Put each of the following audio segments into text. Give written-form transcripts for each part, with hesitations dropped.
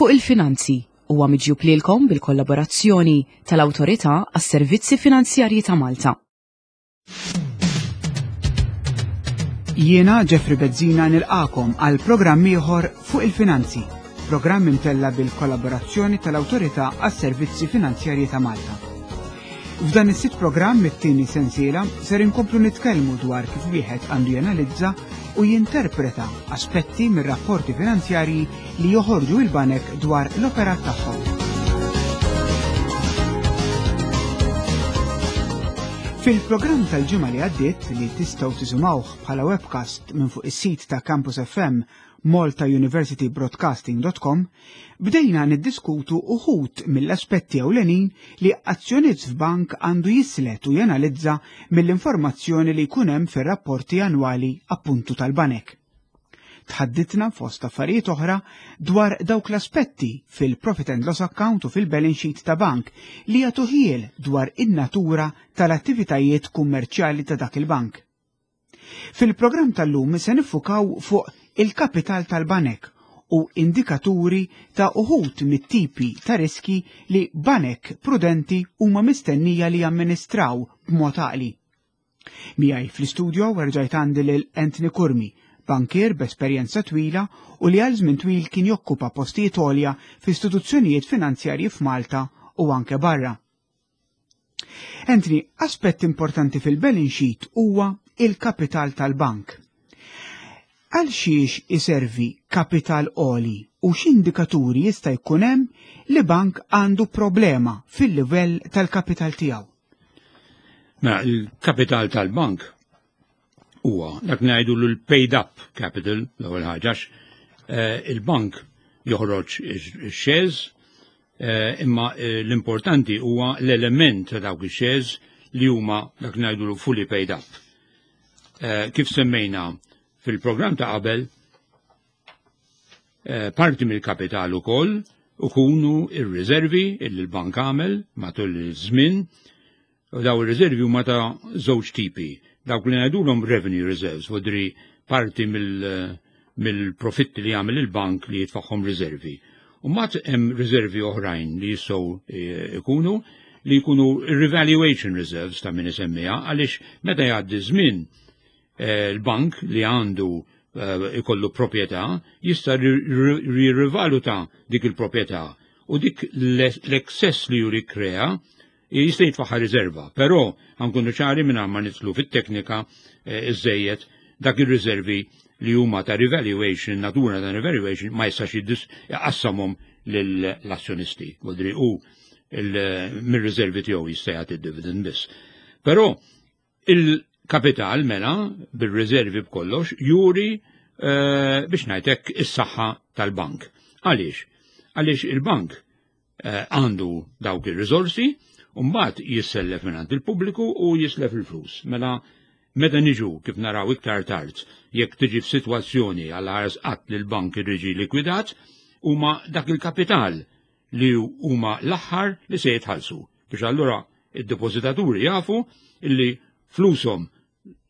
Fuq il-Finanzi huwa miġjub lilkom bil-kollaborazzjoni tal-Awtorità għas-Servizzi Finanzjarji ta' Malta. Jiena Jeffrey Bezzina nilqakom għal programm ieħor fuq il-finanzi, programm imtella bil-kollaborazzjoni tal-Awtorità għas-Servizzi Finanzjarji ta' Malta. F'dan is-sitt programm mit-tieni sensiela ser inkomplu nitkellmu dwar kif wieħed għandu janalizza u jinterpreta aspetti mir-rapporti finanzjarji li joħorġu il-banek dwar l-operat tagħhom. Fil-programm tal-ġimgħa li għaddiet li tistgħu tisimgħuh bħala webcast minn fuq is-sit ta' Campus FM maltauniversitybroadcasting.com, bdejna niddiskutu uħud mill-aspetti ewlenin li azzjonist f'bank għandu jislet u janalizza mill-informazzjoni li jkun hemm fir-rapporti annwali appuntu tal-banek. Tħadditna fost affarijiet oħra dwar dawk l-aspetti fil-profit and loss account u fil-balance sheet ta' bank li jagħtu ħiel dwar in-natura tal-attivitajiet kummerċjali ta' dak il-bank. Fil-programm tal-lum se niffukaw fuq il-kapital tal-banek u indikaturi ta' uħud mit-tipi ta' riski li banek prudenti huma mistennija li jamministraw b'mod għaqli. Miegħi fl-istudio erġajt għandi lil Anthony Curmi, bankier b'esperjenza twila u li għal żmien twil kien jokkupa postijiet għolja f'istituzzjonijiet finanzjarji f'Malta u anke barra. Anthony, aspett importanti fil-balance sheet huwa il-kapital tal-bank. Għal xiex iservi kapital għoli u x'indikaturi jista' jkun hemm li bank għandu problema fil-livell tal-kapital tiegħu? Mela, il-kapital tal-bank huwa dak ngħidu l-paid up capital l-ewwel ħaġa eh, il-bank joħroġ ix-shares eh, imma eh, l-importanti huwa l-element ta' dawk ix-shares li huma dak ngħidu fully paid up. Kif semmejna fil-programm ta' qabel, parti mill-kapital ukoll ukunu ir-riservi illi l-bank għamel matul iż-żmien U daw ir-riservi huma ta' żewġ tipi. Dawk li ngħidulhom revenue reserves, vodri parti mill-profitti li jagħmel il-bank li jitfaħħom riservi. U mbagħad hemm riservi oħrajn li jistgħu eh, ikunu li jkunu revaluation reserves ta' min isemmiha għaliex meta jgħaddi żmien eh, l-bank li għandu eh, ikollu proprjetà jista' jirrivaluta dik il-proprjetà u dik l-excess li juri krea jista' jitfaħħa riserva, però ħankunu ċari minn ma nidħlu fit-teknika eh, iżejjed dak ir-riservi li huma ta' revaluation, natura ta' revaluation, ma jistax jqassamhom lill-azzjonisti. Vodri u mir-riservi tiegħu jista' jagħti dividend biss. Però il-kapital mela bir-riservi b'kollox juri eh, biex ngħidlek is-saħħa tal-bank. Għaliex? Għaliex il-bank Eh, għandu dawk ir-riżorsi, u mbagħad jissellef mingħand il-pubbliku u jislef il-flus. Mela meta niġu kif naraw iktar tard, jekk tiġi f'sitwazzjoni għal ħares qatt li l-bank irriġi likwidat, huma dak il-kapital li huma l-aħħar li se jitħallsu. Biex allura id-depożitaturi jafu illi flushom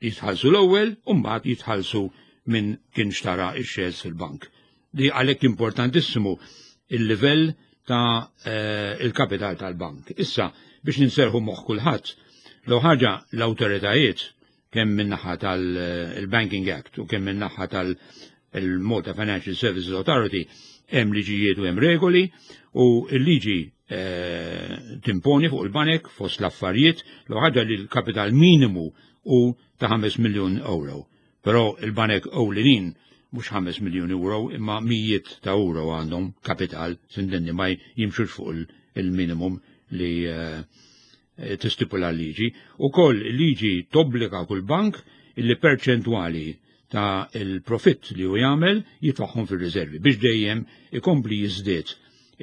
jitħallsu l-ewwel u mbagħad jitħallsu minn kien xtara x-shares fil-bank. Li għalhekk importantissimu il-livell ta' eh, il-kapital tal-bank. Issa biex ninserħu moħħ kulħadd, l ħaġa l-awtoritajiet kemm min-naħa tal-Banking Act u kemm min-naħa tal-Malta Financial Services Authority hemm liġijiet u hemm regoli u l-liġi eh, timponi fuq il-banek fost l-affarijiet l ħaġa li l-kapital minimu u ta' 5 miljun euro. Però il-banek ewlenin mhux 5 miljun euro imma mijiet ta' euro għandhom kapital sindenni ma jimxux fuq il-minimum li eh, tistipula l-liġi. U koll liġi tobbliga kull bank illi perċentwali ta' il-profitt li hu jagħmel jitfaħħom fir-riservi biex dejjem ikompli jiżdied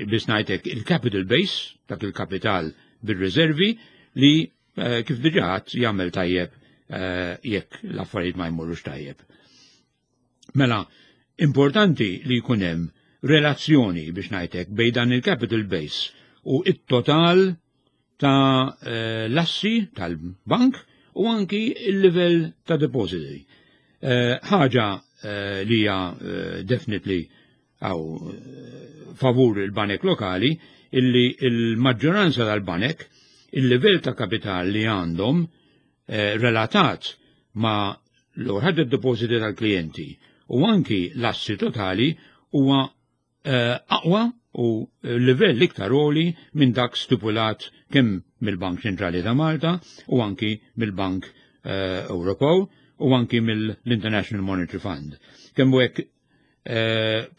biex ngħidlek il-capital base, dak il-kapital bir-riservi li eh, kif diġà jagħmel tajjeb eh, jekk l-affarijiet ma jmorrux tajjeb. Mela, importanti li jkun hemm relazzjoni biex ngħidlek bejn dan il-capital base u it-total ta' eh, l-assi tal-bank u anki il-livell ta' depositi. Eh, ħaġa eh, li hija definitely għaw favur il-banek lokali illi il-maġġoranza tal-banek il-livell ta' kapital li għandhom relatat ma' l-overhead depositi tal-klijenti u anki l-assi totali huwa aqwa u livell iktar għoli minn dak stipulat kemm mill-Bank Ċentrali ta' Malta u anki mill-Bank Ewropew u anki mill-International Monetary Fund. Kemm hekk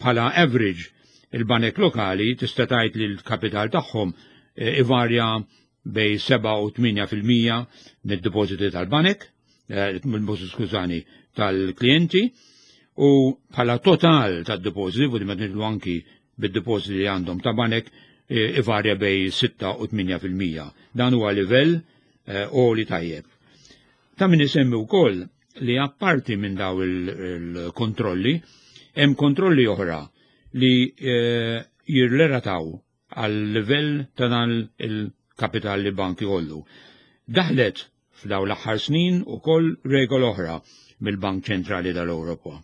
bħala average il-banek lokali tista' tgħid li l-kapital tagħhom ivarja bejn 7 u 8% mid-depositi tal-banek, skużani, tal-klijenti, u bħala total tad-depositi, u di ma anki bid-depositi li għandhom ta' banek, ivarja bejn 6 u 8%. Dan huwa livell għoli tajjeb. Ta' min isemmi wkoll li apparti minn daw il-kontrolli, hemm kontrolli oħra li jirrelataw għal livell ta' dan il-kapital li bank jkollu. Daħlet f'daw l-aħħar snin ukoll regola oħra mill-Bank Ċentrali tal-Ewropa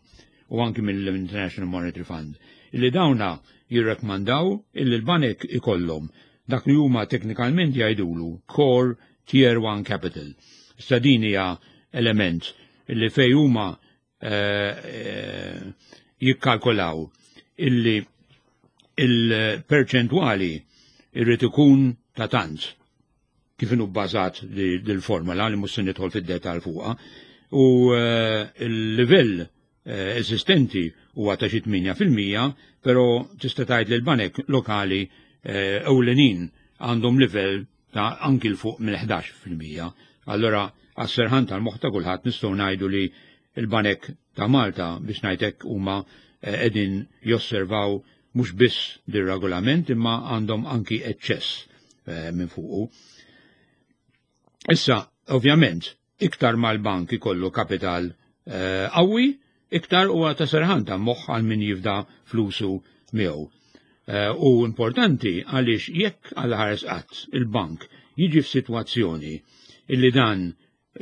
u anki mill-International Monetary Fund, illi dawna jirrekmandaw illi l-banek ikollhom dak li huma teknikalment jgħidulu Core Tier 1 Capital. Issa din hija element illi fej huma jikkalkolaw illi il-perċentwali irrid ikun ta' tant kif inhu bbażat dil-formula li mhux se nidħol fid-detal fuqha, u l-livell eżistenti huwa ta' xi 8%, però tista' tgħid li l-banek lokali ewlenin għandhom livell ta' anki l fuq mill-11%. Allora għas-serħan tal-moħħ ta' kulħadd nistgħu ngħidu li l-banek ta' Malta, biex ngħidlek, huma qegħdin josservaw mhux biss dir-regolament imma għandhom anki eċċess minn fuqu. Issa, ovvjament, iktar mal-bank ikollu kapital qawwi, iktar huwa ta' serħan ta' moħħ għal min jifda flusu miegħu. U importanti għaliex jekk għal ħares qatt il-bank jiġi f'sitwazzjoni illi dan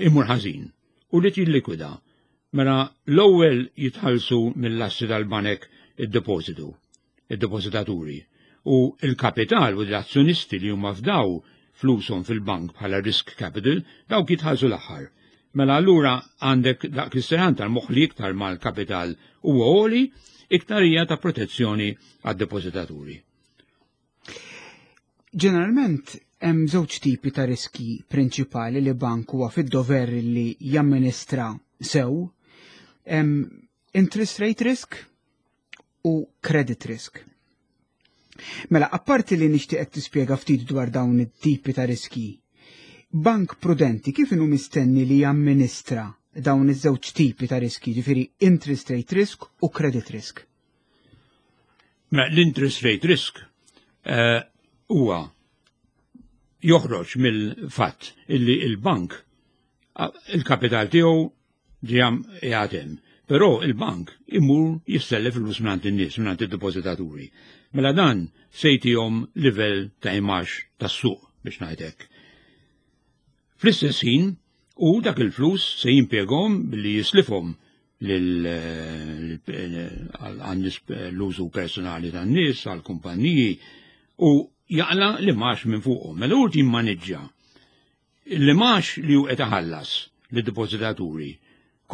imur ħażin u li tillikwida, mela l-ewwel jitħallsu mill-assi tal-banek id-depositu, id-depozitaturi, u il-kapital u l-azzjonisti li huma fdaw flushom fil-bank bħala risk capital, dawk jitħallsu l-aħħar. Mela allura għandek dak l-isteran tal-moħħ li iktar mal-kapital huwa għoli, iktar hija ta' protezzjoni għad-depozitaturi. Ġeneralment hemm żewġ tipi ta' riski prinċipali li bank huwa fid-dover li jamministra sew. Hemm interest rate risk u credit risk. Mela, apparti li nixtieqek tispjega ftit dwar dawn it-tipi ta' riski, bank prudenti kif inhu mistenni li jamministra dawn iż-żewġ tipi ta' riski, ġifieri interest rate risk u credit risk? Mela, l-interest rate risk huwa joħroġ mill-fatt illi il-bank il-kapital tiegħu ġiam jgħatem. Però il-bank imur jissellef il-flus mingħand in-nies, mingħand id-depozitaturi. Mela dan se jtihom livell ta' imax tas-suq, biex ngħidlek. Fl-istess ħin, u dak il-flus se jimpjegahom billi jislifhom għan-nies, l-użu personali tan-nies, għal-kumpanniji, u jaqla' l-imgħax minn fuqhom. Mela hu jimmaneġġja l-imgħax li hu qed iħallas lid-depozitaturi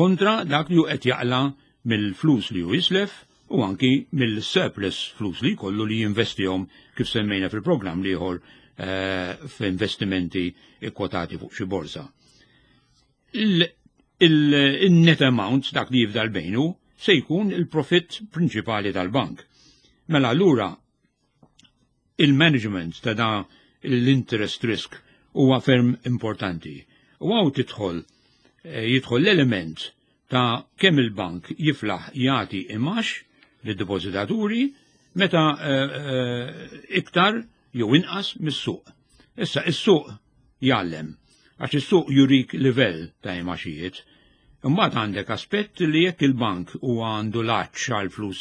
kontra dak li hu qed jaqla' mill-flus li hu jislef u anki mill-surplus flus li jkollu li jinvestihom, kif semmejna fil-programm l-ieħor, f'investimenti kwotati fuq xi borsa. Il-net amount, dak li jifdal bejnu, se jkun il-profit prinċipali tal-bank. Mela allura il-management ta' da l-interest risk huwa ferm importanti. U hawn tidħol jidħol l-element ta' kemm il-bank jiflaħ jagħti imax lid-depozitaturi meta iktar jew inqas mis-suq. Issa is-suq jgħallem, għax is-suq jurik livell ta' imaxijiet. Imbagħad għandek aspett li jekk il-bank huwa għandu l-għatx għal flus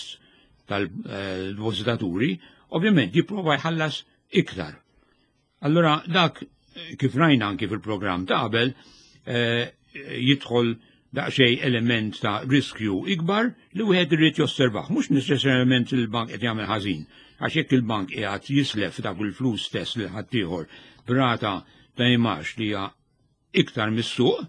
tal-depozitaturi, ovvjament jipprova jħallas iktar. Allora dak, kif rajna anki fil-programm ta' qabel, jidħol daqsxejn element ta' riskju ikbar li wieħed irid josservah, mhux neċessarjament il-bank qed jagħmel ħażin. Għax jekk il-bank qiegħed jislef dak il-flus stess lil ħaddieħor b'rata ta' imgħax li hija iktar mis-suq,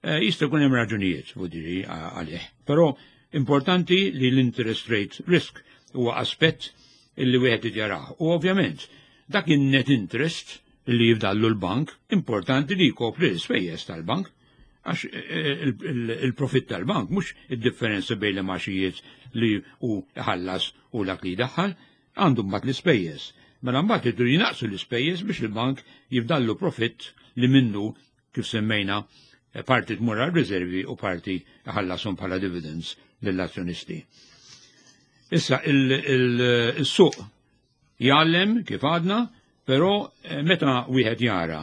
eh, jista' jkun hemm raġunijiet vuol għalih. Però importanti li l-interest rate risk huwa aspett illi wieħed jarah. U ovvjament dak in-net interest li jifdallu l-bank, importanti li jkopri l-ispejjeż tal-bank għax eh, il-profitt tal-bank mhux id-differenza bejn l-imgħaxijiet li hu ħallas u dak li jdaħħal, għandu mbagħad l-ispejjeż. Mela mbagħad iridu jinaqsu l-ispejjeż biex il-bank jifdallu profitt li minnu kif semmejna eh, parti tmur għal riservi u parti ħallasom bħala dividends lill-azzjonisti. Issa il-suq jgħallem kif għadna, però eh, meta wieħed jara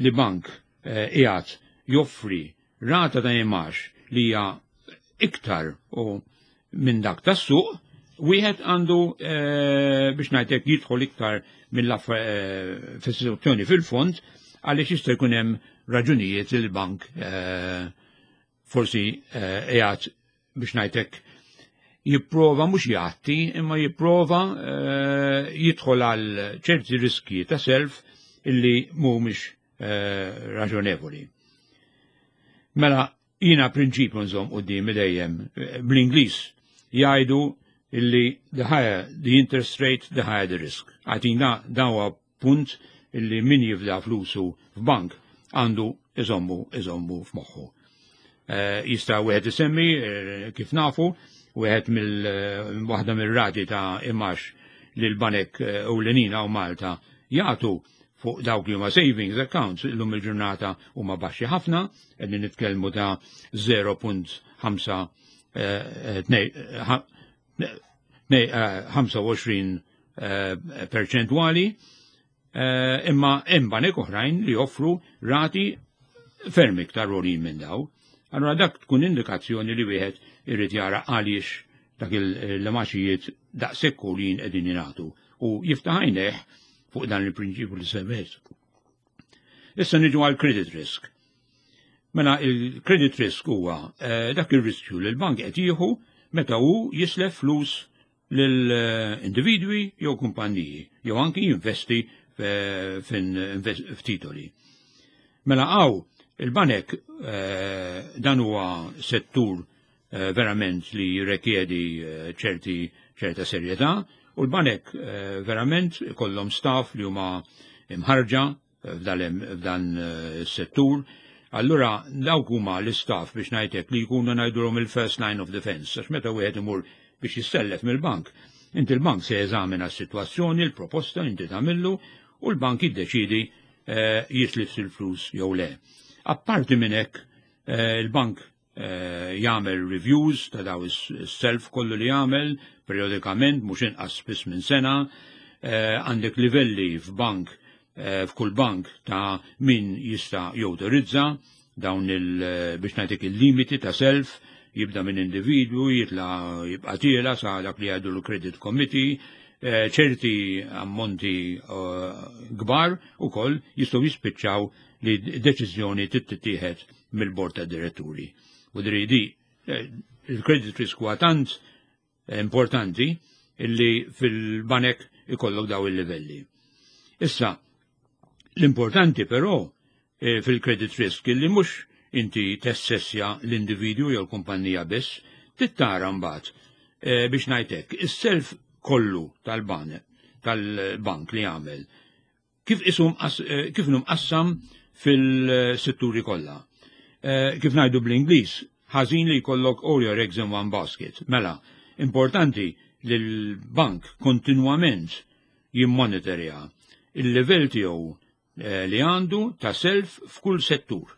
li bank eh, qiegħed joffri rata ta' imgħax li hija iktar u minn dak tas-suq, wieħed għandu eh, biex ngħidlek jidħol iktar mill-fis-situazzjoni fil-fond għaliex jista' jkun hemm raġunijiet li l-bank forsi qiegħed biex ngħidlek jipprova mhux jgħatti imma jipprova eh, jidħol għal ċerti riski ta' self illi mhumiex eh, raġonevoli. Mela jiena prinċipju nżomm quddiem dejjem eh, bl-Ingliż jgħidu illi the higher the interest rate, the higher the risk. Għatina dan huwa punt illi min jifda flusu f'bank għandu iżommu iżommu f'moħħu. Eh, jista' wieħed isemmi eh, kif nafu wieħed mill eh, waħda mir-rati ta' imgħax li l-banek ewlenina u Malta jagħtu fuq dawk li huma savings accounts illum il-ġurnata huma baxxi ħafna, qegħdin nitkellmu ta' 0.5 25 perċentwali, imma hemm banek oħrajn li joffru rati ferm iktar għoljin minn daw. Allora dak tkun indikazzjoni li wieħed irid jara għaliex dak il-imgħaxijiet daqshekk għoljin qegħdin jingħatu u jiftaħ għajnejh fuq dan il-prinċipju li semmejt. Issa niġu għal credit risk. Mela il-credit risk huwa eh, dak il-riskju li l-bank qed jieħu meta hu jislef flus lil individwi jew kumpanniji jew anki jinvesti f'titoli. Mela għaw il-banek eh, dan huwa settur eh, verament li jirrekjedi eh, ċerti ċerta serjetà u l-banek verament kollhom staff li huma imħarġa f'dan is-settur. Allura dawk huma l-istaff biex ngħidlek li jkunu ngħidulhom il-first line of defense, għax meta wieħed imur biex jissellef mill-bank, inti l-bank se jeżamina s-sitwazzjoni, l-proposta inti tagħmillu u l-bank jiddeċidi eh, jislif il-flus jew le. Apparti minn hekk eh, il-bank eh, jagħmel reviews ta' daw is-self kollu li jagħmel periodikament mhux inqas spiss minn sena, eh, għandek livelli f'bank eh, f'kull bank ta' min jista' jawtorizza dawn il biex ngħidlek il-limiti ta' self jibda minn individwu jitla jibqa' tiela sa dak li jgħidu l-credit committee, ċerti ammonti kbar ukoll jistgħu jispiċċaw li deċiżjoni tittieħed mill-bord ta' diretturi. U dri di eh, il-credit risk huwa tant importanti illi fil-banek ikollok daw il-livelli. Issa, l-importanti però eh, fil-credit risk illi mhux inti tessessja l-individwu jew l-kumpanija biss, tittara mbagħad eh, biex ngħidlek is-self kollu tal-bank tal-bank li għamel kif isum eh, kif mqassam fil-setturi kollha. Eh, kif ngħidu bl-Ingliż, ħażin li jkollok all your eggs in one basket. Mela, importanti li l-bank kontinwament jimmonitorja il-livell tiegħu eh, li għandu ta' self f'kull settur.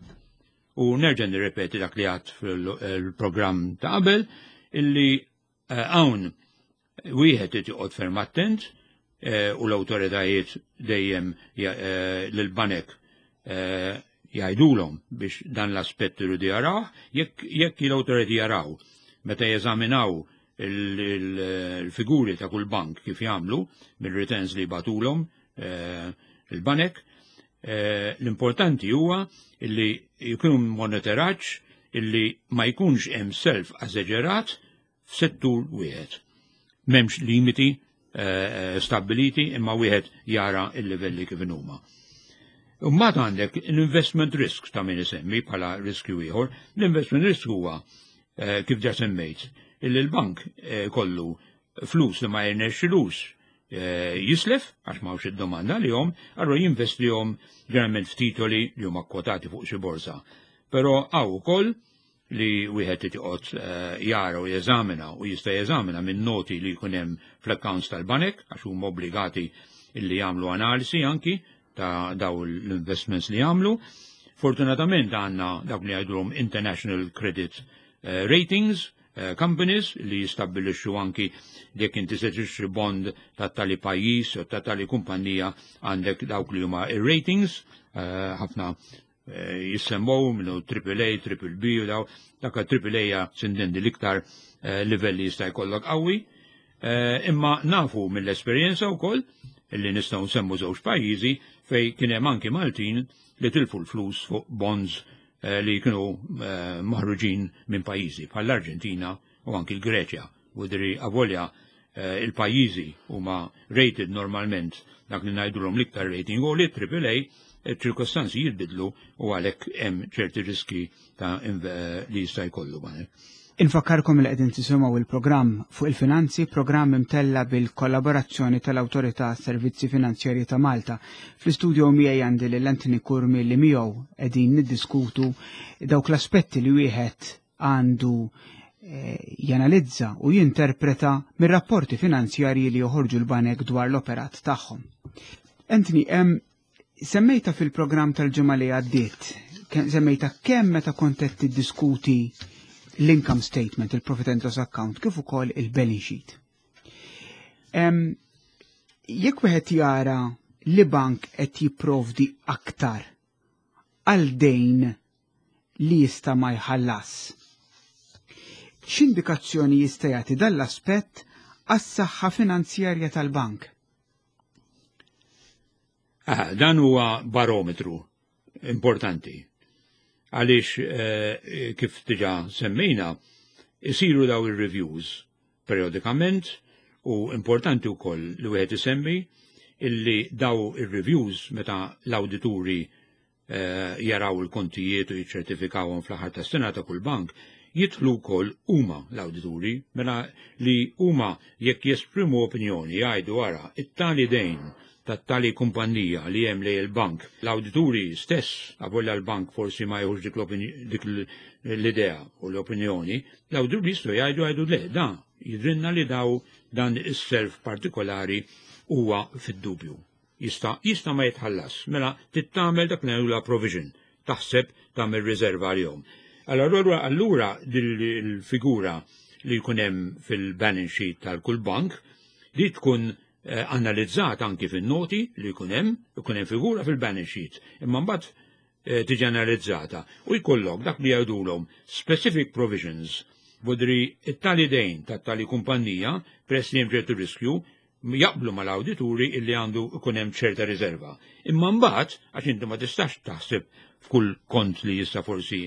U nerġa' nirrepeti dak li għad fil-programm ta' qabel illi hawn wieħed irid joqgħod ferm attent eh, u l-awtoritajiet dejjem eh, lill-banek eh, jgħidulhom biex dan l-aspett iridu jaraw, jekk l-awtoritajiet jaraw meta jeżaminaw il-figuri ta' kull bank kif jagħmlu mill-returns li batulhom il-banek, l-importanti huwa illi jkun monitoraġġ illi ma jkunx hemm self eżaġerat f'settur wieħed. M'hemmx limiti stabbiliti imma wieħed jara l-livelli kif huma. Mbagħad għandek l-investment risk ta' min isemmi bħala riskju ieħor. L-investment risk huwa kif ġa semmejt, illi l-bank kollu flus li ma jirnexxilux jislef għax m'hawnx id-domanda li jom, allura jinvestihom ġeneralment f'titoli li huma kwotati fuq xi borsa. Però hawn ukoll li wieħed irid jara u jeżamina u jista' jeżamina minn noti li jkun hemm fl-accounts tal-banek għax huma obbligati illi jagħmlu analisi anki ta' daw l-investments li jagħmlu. Fortunatament għandna dawk li jgħidulhom International Credit Ratings Companies li jistabbilixxu anki jekk inti se tixtri bond ta' tali pajjiż u ta' tali kumpanija, għandek dawk li huma ir-ratings, ħafna jissemmow minnu AAA, Triple B u daw, dak AAA hija sintendi l-iktar livelli jista' jkollok qawwi. Imma nafu mill-esperjenza wkoll li nistgħu nsemmu żewġ pajjiżi fej kien hemm anki Maltin li tilfu l-flus fuq bonds li kienu maħruġin minn pajjiżi bħall-Arġentina u anki l-Greċja. Vodri avolja il-pajjiżi huma rated normalment dak li ngħidulhom l-iktar rating u li AAA, ċirkostanzi jitbidlu u għalhekk hemm ċerti riski ta' li jista' jkollu banek. Infakkarkom li qegħdin tisimgħu il-programm fuq il-finanzi, programm imtella bil-kollaborazzjoni tal-Awtorità Servizzi Finanzjarji ta' Malta. Fl-istudio miegħi għandi lil Anthony Curmi li miegħu qegħdin niddiskutu dawk l-aspetti li wieħed għandu janalizza u jinterpreta mir-rapporti finanzjarji li joħorġu l-banek dwar l-operat tagħhom. Anthony, semmejta fil-programm tal-ġimgħa li għaddiet, semmejta kemm meta kont qed tiddiskuti l-income statement, il-profit and loss account, kif ukoll il-balance sheet. Jekk wieħed jara li bank qed jipprovdi aktar għal dejn li jista' ma jħallas, x'indikazzjoni jista' jagħti dan l-aspett għas-saħħa finanzjarja tal-bank? Ah, dan huwa barometru importanti. Għaliex kif diġà semmejna, isiru daw il-reviews periodikament u importanti wkoll li wieħed isemmi illi daw il-reviews meta l-awdituri jaraw il-kontijiet u jiċċertifikawhom fl-aħħar tas-sena ta' kull bank, jidħlu wkoll huma l-awdituri, mela li huma jekk jesprimu opinjoni jgħidu ara it-tali dejn tat-tali kumpanija li hemm lejn il-bank. L-awdituri stess, avolja l-bank forsi ma jieħux dik l-idea u l-opinjoni, l-awdituri jistgħu jgħidu le, da jidrinna li daw dan is-self partikolari huwa fid-dubju. Jista' ma jitħallas, mela tittamel dak li la provision, taħseb tagħmel riserva għalihom. Allura il-figura li jkun hemm fil-balance sheet tal-kull bank li tkun analizzat anki fin-noti li jkun hemm, ikun hemm figura fil-balance sheet. Imma mbagħad tiġi analizzata u jkollok dak li jgħidulhom specific provisions, vodri it-tali dejn tat-tali kumpanija peress li hemm ċertu riskju, jaqblu mal-awdituri illi għandu ikun hemm ċerta riserva. Imma mbagħad, għax inti ma tistax taħseb f'kull kont li jista' forsi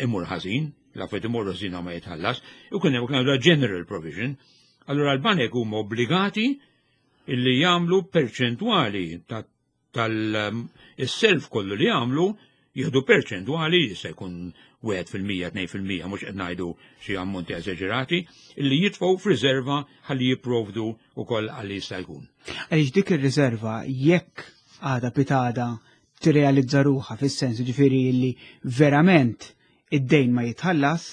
imur ħażin, la fejn imur ħażin ma jitħallas, ikun hemm general provision. Allura l-banek huma obbligati illi jagħmlu perċentwali tal-self kollu li jagħmlu, jieħdu perċentwali, jista' jkun 1%, 2%, mhux qed ngħidu xi ammonti eżaġerati, illi jitfgħu f'riserva ħalli jipprovdu wkoll għalli jista' jkun. Għaliex dik ir-riserva jekk għada pitada tirrealizza ruħha fis-sens ġifieri li verament id-dejn ma jitħallas,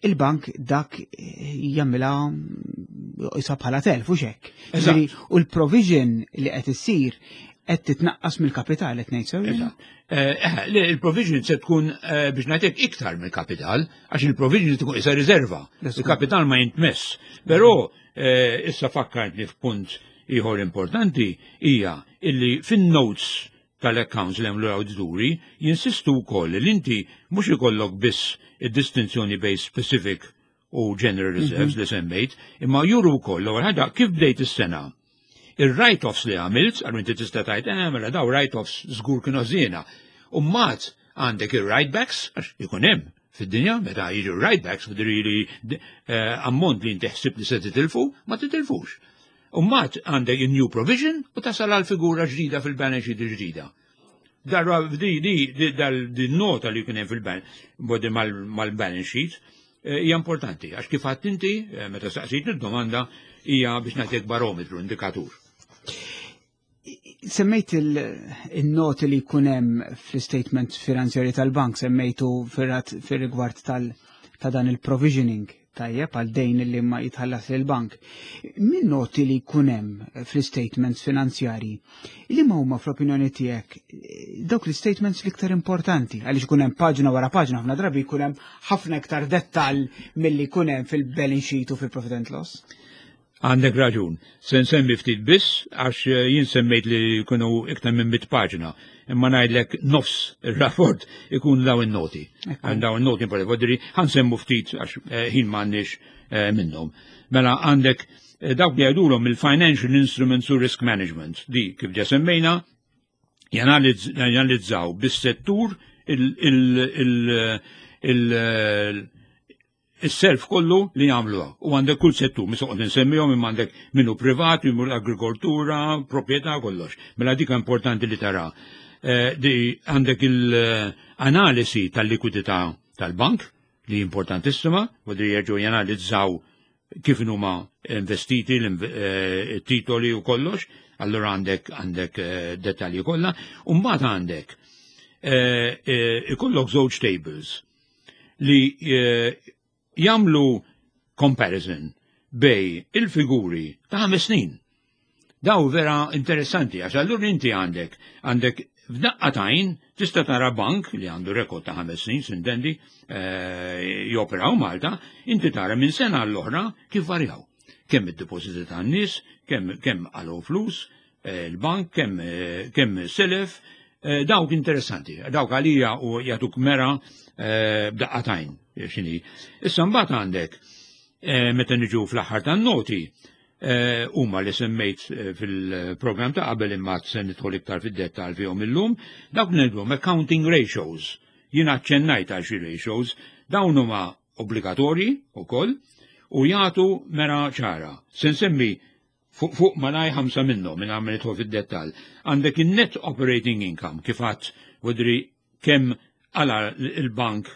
il-bank dak jagħmilha isa bħala telf u xek. U l-provision li qed issir qed titnaqqas mill-kapital qed ngħid sew. Il-provision se tkun biex ngħidlek iktar mill-kapital, għax il-provision tkun isa riserva. Il-kapital ma jintmess. Però issa fakkartni f'punt ieħor importanti hija illi fin-notes tal-accounts li għamlu l-awdituri jinsistu wkoll li inti mhux ikollok biss id-distinzjoni bejn specific u general reserves li semmejt, imma juru wkoll l-ewwel ħaġa kif bdejt is-sena. Il-write-offs li għamilt, għal inti tista' tgħid, mela daw write-offs żgur kienu ħżiena. U mbagħad għandek il-write-backs, għax ikun hemm fid-dinja, meta jiġu write-backs, li ammont li inti ħsib li se titilfu, ma titilfux. U mbagħad għandek new provision u tasal għal figura ġdida fil-balance sheet ġdida. Darba di di nota li kien hemm fil-balance mal-balance sheet hija importanti għax kif għedt inti meta saqsejt id-domanda hija biex nagħtik barometru, indikatur. Semmejt il-noti li jkun hemm fl-statement finanzjari tal-bank, semmejtu fil-rigward ta' dan il-provisioning, tajjeb, għal dejn li ma jitħallas il-bank. Min noti li jkun hemm fl-statements finanzjari, li ma huma fl-opinjoni tiegħek dawk l-statements l-iktar importanti, għaliex ikun hemm paġna wara paġna, ħafna drabi jkun hemm ħafna iktar dettal milli jkun hemm fil-balance sheet u fil-profit and loss. Għandek raġun. Se nsemmi ftit biss għax jien semmejt li jkunu iktar minn 100 paġna. Imma ngħidlek nofs ir-rapport ikun daw in-noti. Daw in-noti importanti. Ħa nsemmu ftit għax ħin m'għandniex minnhom. Mela għandek dawk li jgħidulhom il-Financial Instruments u Risk Management. Di kif ġa semmejna janalizzaw bis-settur il-self kollu li jagħmlu. U għandek kull settur, mhux noqgħod insemmihom, imma għandek minnu privat, minnu l-agrikoltura, proprjetà, kollox. Mela dik importanti li tara. Di għandek il-analisi tal-likwidità tal-bank li importantissima, u di jerġgħu janalizzaw kif huma investiti l-titoli u kollox, allura għandek dettalji kollha. U mbagħad għandek ikollok żewġ tables li jagħmlu comparison bejn il-figuri ta' 5 snin. Daw vera interessanti, għax allura inti għandek f'daqqa t'għajn tista' tara bank li għandu rekord ta' 5 snin, s'intendi, joperaw Malta, inti tara minn sena l-oħra kif varjaw. Kemm id-depositi tan-nies, kemm għalu flus, il-bank, kemm selef, dawk interessanti, dawk għalija u jagħtuk mera b'daqqa t'għajn, x'inhi. Issa mbagħad għandek meta niġu fl-aħħar tan-noti, huma li semmejt fil-program ta' qabel imma se nidħol iktar fid-dettal fihom illum, dawk ngħidulhom accounting ratios. Jien aċċennajt għal xi ratios, dawn huma obbligatorji wkoll u jagħtu mera ċara. Se nsemmi fuq fuq malaj ħamsa minnhom minn għamel nidħol fid-dettall. Għandek in-net operating income kif għedt vodri kemm għala il-bank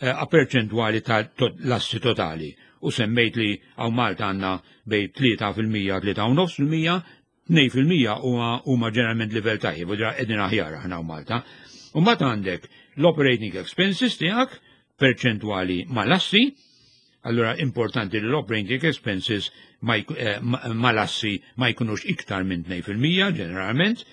a perċentwali ta' l-assi totali u semmejt li hawn Malta għandna bejn 3%, 3.5%, 2% huma ġeneralment livell tajjeb, u qegħdin aħjar aħna hawn Malta. U mbagħad għandek l-operating expenses tiegħek perċentwali mal-assi, allura importanti li l-operating expenses mal-assi ma jkunux iktar minn 2% ġeneralment.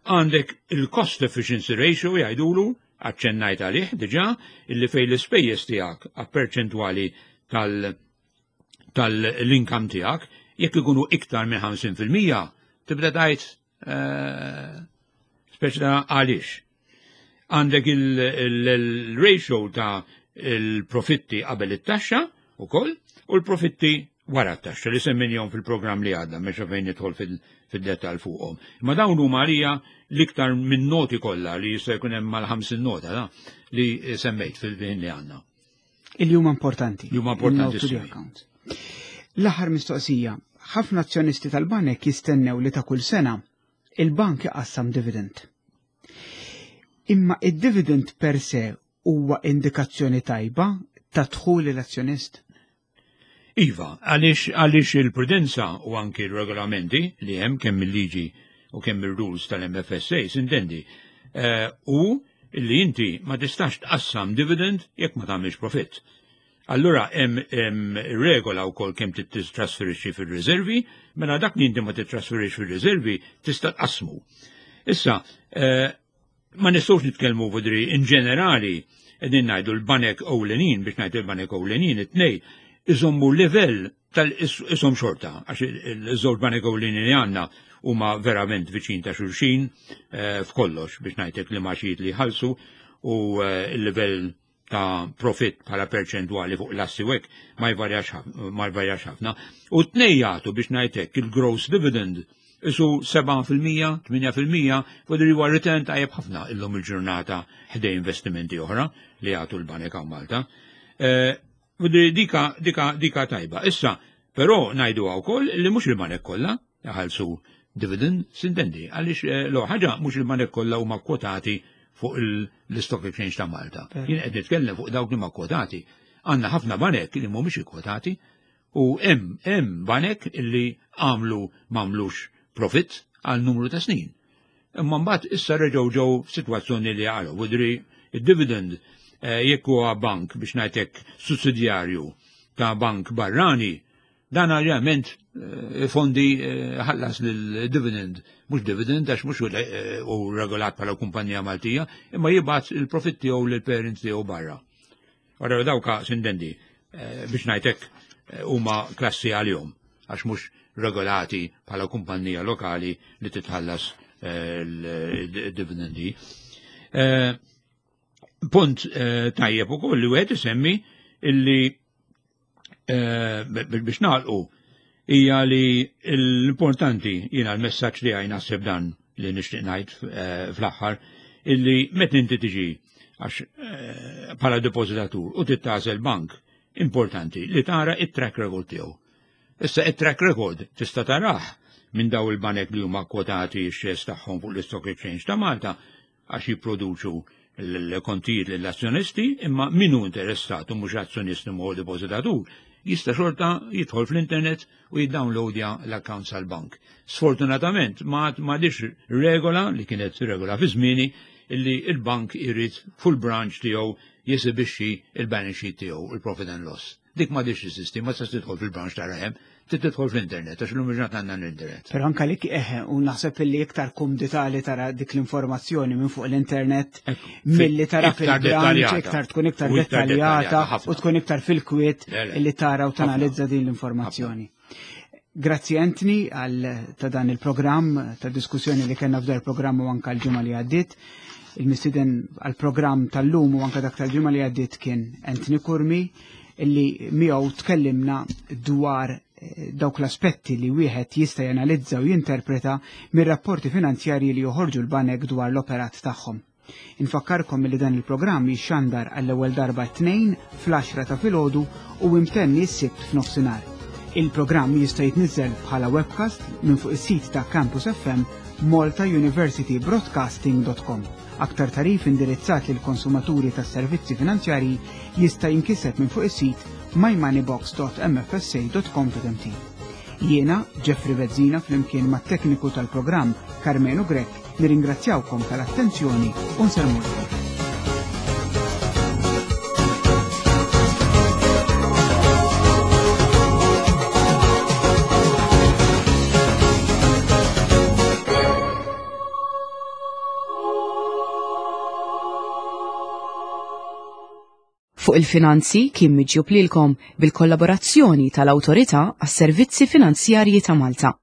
Għandek il-cost efficiency ratio jgħidulu, aċċennajt għalih diġà, illi fej l-ispejjeż tiegħek a perċentwali tal-income tiegħek, jekk ikunu iktar minn 50%, tibda tgħid speċi ta' għaliex. Għandek il-ratio ta' il-profitti qabel it-taxxa ukoll u l-profitti wara t-taxxa li semmejnihom fil-programm li għadda, mexa fejn nidħol fid-dettal fuqhom. Ma dawn huma għalija l-iktar minn noti kollha li jista' jkun hemm mal-50 nota da, li semmejt fil-ħin li għandna. Il huma importanti. Li huma importanti. L-aħħar mistoqsija, ħafna azzjonisti tal-banek jistennew li ta' kull sena il-bank iqassam dividend. Imma id-dividend per se huwa indikazzjoni tajba ta' dħul l-azzjonist? Iva, għaliex il-prudenza u anki il-regolamenti li hemm kemm il-liġi u kemm il-rules tal-MFSA, s'intendi, u li inti ma tistax tqassam dividend jekk ma tagħmilx profitt. Allura hemm regola wkoll kemm titrasferixxi fir-riservi, mela dak li inti ma titrasferixxi fir-riservi tista' tqassmu. Issa, ma nistgħux nitkellmu vodri in ġenerali qegħdin ngħidu l-banek ewlenin, biex ngħidu l-banek ewlenin it-tnej iżommu livell tal-isom xorta, għax il-żewġ banek ewlenin li għandna huma verament viċin ta' xulxin f'kollox biex ngħidlek li maċijiet li jħallsu u il-livell ta' profit bħala perċentwali fuq l-assi wek ma jvarjax ħafna. U t-tnej jagħtu biex ngħidlek il-gross dividend isu 7%, 8%, vodri huwa return tajjeb ħafna illum il-ġurnata ħdej investimenti oħra li jagħtu l-banek hawn Malta. Vodri dika, dika, dika tajba. Issa, però ngħidu wkoll li mhux il-banek kollha. Iħallsu dividend sintendi għaliex eh, l ħaġa mhux il-banek kollha huma kwotati fuq l-Stock Exchange ta' Malta. Jien qed nitkellem fuq dawk li ma kwotati. Għandna ħafna banek li mhumiex ikkwotati u hemm hemm banek li għamlu m'għamlux profit għal numru ta' snin. Imma mbagħad issa reġgħu ġew f'sitwazzjoni li għalu widri id-dividend eh, jekk huwa bank biex ngħidlek sussidjarju ta' bank barrani Dan ovvjament eh, fondi eh, ħallas lil-dividend, mhux dividend għax mhux eh, u regolat bħala kumpanija Maltija, imma jibgħat il-profitt tiegħu lill-parents tiegħu barra. Ora dawka sindendi biex ngħidlek huma klassi għalihom għax mhux regolati bħala kumpanija lokali li titħallas l-dividendi. Punt tajjeb ukoll li wieħed isemmi illi eh, biex nagħlqu hija li l-importanti jiena l-messaġġ li għaj naħseb dan li nixtieq ngħid eh, fl-aħħar illi meta inti tiġi għax eh, bħala depożitatur u tittażel bank importanti li tara it-track record tiegħu. Issa it-track record tista' tarah minn daw il-banek li huma kwotati x-shares tagħhom fuq l-Stock Exchange ta' Malta għax jipproduċu l-kontijiet lill-azzjonisti, imma min hu interessat u mhux azzjonist imma hu depożitatur, jista' xorta jidħol fl-internet u jiddownloadja l-accounts tal-bank. Sfortunatament ma m'għadix regola li kienet regola fi żmieni illi il-bank irid full branch tiegħu jesibixxi il-balance sheet tiegħu, il-profit and loss. Dik m'għadix teżisti, ma tistax tidħol fil-branch tara hemm, trid tidħol fl-internet, għax illum il-ġurnata għandna l-internet. Però anka li eħe, u naħseb illi iktar kumdità li tara dik l-informazzjoni minn fuq l-internet milli tara fil-branch, iktar tkun iktar dettaljata u tkun iktar fil-kwiet illi tara u tanalizza din l-informazzjoni. Grazzi Anthony għal ta' dan il-programm, ta' diskussjoni li kellna f'dar programm u anka l-ġimgħa li għaddiet. Il-mistieden għal-programm tal-lum u anka dak tal-ġimgħa li għaddiet kien Anthony Curmi illi miegħu tkellimna dwar eh, dawk l-aspetti li wieħed jista' janalizza u jinterpreta mir-rapporti finanzjarji li joħorġu l-banek dwar l-operat tagħhom. Infakkarkom li dan il-programm jixxandar għall-ewwel darba t-Tnejn fl-għaxra ta' filgħodu u imtenni s-Sibt f'nofsinhar. Il-programm jista' jitniżżel bħala webcast minn fuq is-sit ta' Campus FM maltauniversitybroadcasting.com. Aktar tagħrif indirizzat lil konsumaturi tas-servizzi finanzjarji jista' jinkiseb minn fuq is-sit mymoneybox.mfsa.com.mt. Jiena, Jeffrey Bezzina flimkien mat-tekniku tal-programm Karmenu Grech, Nirringrazzjawkom tal-attenzjoni u nsellmulkom. Fuq il-Finanzi kien miġjub lilkom bil-kollaborazzjoni tal-Awtorità għas-Servizzi Finanzjarji ta' Malta.